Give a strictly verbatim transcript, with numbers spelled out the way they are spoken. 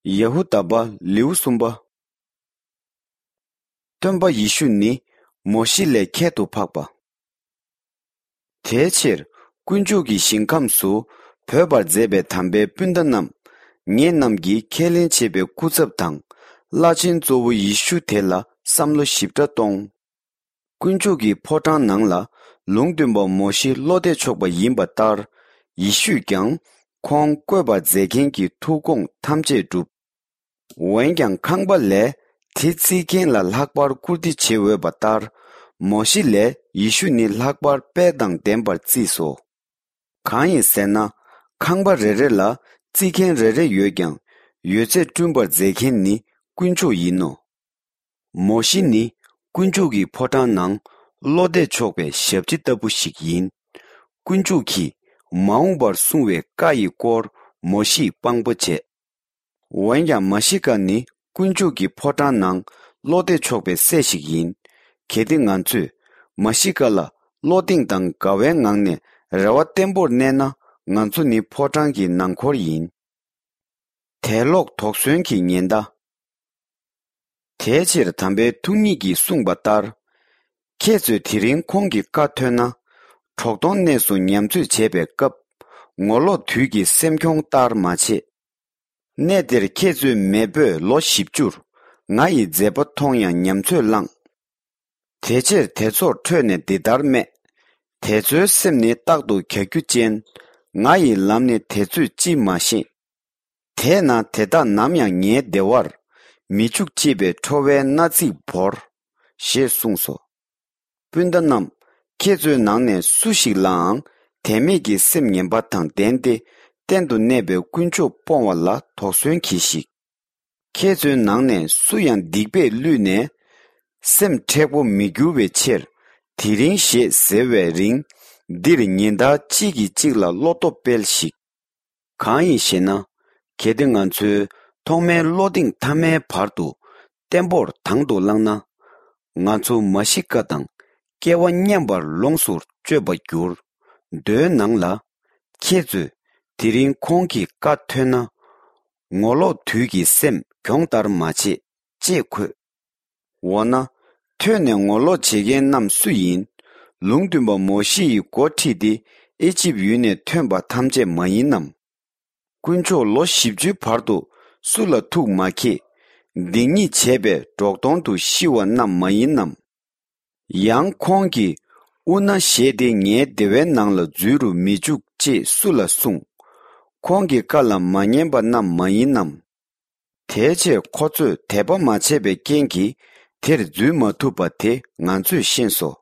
ཡ་ཧུ་དཱ་པ་ལེའུ་གསུམ་པ། སྟོན་པ་ཡེ་ཤུ་ནི་མོ་ཤེ་ལས་ཁྱད་དུ་འཕགས་པ། དེའི་ཕྱིར་དཀོན་མཆོག་གི་ཞིང་ཁམས་སུ་བོད་པར་མཛད་པའི་དམ་པའི་སྤུན་ཟླ་རྣམས། ངེད་རྣམས་ཀྱིས་ཁས་ལེན་བྱེད་པའི་སྐུ་ཚབ་དང་། བླ་ཆེན་གཙོ་བོ་ཡེ་ཤུ་དེ་ལ་བསམ་བློ་ཞིབ་ཕྲ་གཏོང་། དཀོན་མཆོག་གི་ཕོ་བྲང་ནང་ལ་ལུང་སྟོན་པ་མོ་ཤེ་བློ་གཏད་ཆོག་པ་ཡིན་པ་ལྟར། ཡེ་ཤུས་ཀྱང་ཁོང་བཀོད་པར་མཛད་མཁན་གྱི་ཐུགས་དགོངས་ཐམས་ཅད་བསྒྲུབས། འོན་ཀྱང་ཁང་པ་ལས་དེ་བརྩིགས་མཁན་ལ་ལྷག་པར་བཀུར་སྟི་བྱེད་འོས་པ་ལྟར། མོ་ཤེ་ལས་ཡེ་ཤུ་ནི་ལྷག་པར་དཔལ་དང་ལྡན་པར་བརྩིས་སོ། གང་ཡིན་ཟེར་ན། ཁང་པ་རེ་རེ་ལ་བརྩིགས་མཁན་རེ་རེ་ཡོད་ཀྱང་། ཡོད་ཚད་བསྐྲུན་པར་མཛད་མཁན་ནི་དཀོན་མཆོག་ཡིན་ནོ། མོ་ཤེ་ནི་དཀོན་མཆོག་གི་ཕོ་བྲང་ནང་བློ་གཏད་ཆོག་པའི་ཞབས་ཕྱི་ལྟ་བུ་ཞིག་ཡིན། དཀོན་མཆོག་གིས་མ་འོངས་པར་གསུང་བའི་བཀའ་ཡི་སྐོར་མོ་ཤེས་དཔང་པོ་བྱས། འོན་ཀྱང་མ་ཤི་ཀ་ནི་དཀོན་མཆོག་གི་ཕོ་བྲང་ནང་བློ་གཏད་ཆོག་པའི་སྲས་ཤིག་ཡིན། གལ་ཏེ་ང་ཚོས་མ་ཤི་ཀ་ལ་བློ་གདེང་དང་དགའ་བའི་ངང་ནས་རེ་བ་བརྟན་པོར་གནས་ན། ང་ཚོ་ནི་ཕོ་བྲང་གི་ནང་འཁོར་ཡིན། དད་ལོག་དོགས་ཟོན་གྱི་ཉེན་བརྡ། དེའི་ཕྱིར་དམ་པའི་ཐུགས་ཉིད་ཀྱིས་གསུངས་པ་ལྟར། ཁྱེད་ཚོས་དེ་རིང་ཁོང་གི་བཀའ་ཐོས་ན། གྲོག་དོང་གནས་སུ་ཉམས་ཚོད་བྱེད་པའི་སྐབས། ངོ་ལོག་དུད་ཀྱི་སེམས་གྱོང་ལྟར་མ་བྱེད། གནས་དེར་ཁྱེད་ཚོའི་མེས་པོས་ལོ་བཞི་བཅུར་ང་ཡི་མཛད་པ་མཐོང་ཡང་ཉམས་ཚོད་བླངས། དེ་ཕྱིར་དེ་ཚོར་ཁྲོས་ནས་འདི་ལྟར་སྨྲས། དེ་ཚོའི་སེམས་ནི་རྟག་ཏུ་གྱ་གྱུ་ཅན། ང་ཡི་ལམ་ནི་དེ་ཚོས་ཅིས་མ་ཤེས། དེས་ན་དེ་དག་ནམ་ཡང་ངའི་བདེ་བར་མི་འཇུག་ཅེས་པའི་ཁྲོ་བའི་མནའ་ཚིག་བོར། ཞེས་གསུངས་སོ། སྤུན་ཟླ་རྣམས། ཁྱེད་ཚོའི་ནང་ནས་སུ་ཞིག་ལའང་དད་མེད་ཀྱི་སེམས་ངན་པ་དང་ལྡན་ཏེ། གཏན་དུ་གནས་པའི་དཀོན་མཆོག་སྤོང་བ་ལ་དོགས་ཟོན་གྱིས་ཤིག། ཁྱེད་ཚོའི་ནང་ནས་སུ་ཡང་སྡིག་པས་བསླུས་ནས། སེམས་མཁྲེགས་པོ་མི་འགྱུར་བའི་ཕྱིར། དེ་རིང་ཞེས་ཟེར་བའི་རིང་། འདིར་ཉིན་ལྟར་གཅིག་གིས་གཅིག་ལ་བློ་སྟོབས་སྤེལ་ཞིག། གང་ཡིན་ཞེ་ན། གལ་ཏེ་ང་ཚོའི་ཐོག་མའི་བློ་གདེང་མཐའ་མའི་བར་དུ་བརྟན་པོར་དང་དུ་བླངས་ན། ང་ཚོ་མ་ཤི་ཀ་དང་སྐལ་བ་མཉམ་པར་ལོངས་སུ་སྤྱོད་པར་འགྱུར། མདོའི་ནང་ལ། ཁྱེད་ཚོས་དེ་རིང་ཁོང་གི་བཀའ་ཐོས་ན། ངོ་ལོག་དུད་ཀྱི་སེམས་གྱོང་ལྟར་མ་བྱེད། ཅེས་འཁོད། འོ་ན། ཐོས་ནས་ངོ་ལོག་བྱེད་མཁན་རྣམས་སུ་ཡིན། ལུང་སྟོན་པ་མོ་ཤེ་ཡི་འགོ་ཁྲིད་དེ་ཨེ་ཅིབ་ཡུལ་ནས་ཐོན་པ་ཐམས་ཅད་མ་ཡིན་ནམ། དཀོན་མཆོག་ལོ་བཞི་བཅུའི་བར་དུ་སུ་ལ་ཐུགས་མ་མཁྱེན། སྡིག་ཉེས་བྱས་པས་འབྲོག་དོང་དུ་ཤི་བ་རྣམས་མ་ཡིན་ནམ། ཡང་ཁོང་གིས་དབུ་མནའ་བཞེས་ཏེ་ངའི་བདེ་བའི་ནང་ལ་འཛུལ་རུ་མི་འཇུག་ཅེས་སུ་ལ་གསུངས། ཁོང་གི་བཀའ་ལ་མ་ཉན་པ་རྣམས་མ་ཡིན་ནམ། དེའི་ཕྱིར་ཁོ་ཚོས་དད་པ་མ་བྱས་པའི་རྐྱེན་གྱིས་དེར་འཛུལ་མ་ཐུབ་པ་དེ་ང་ཚོས་ཤེས་སོ།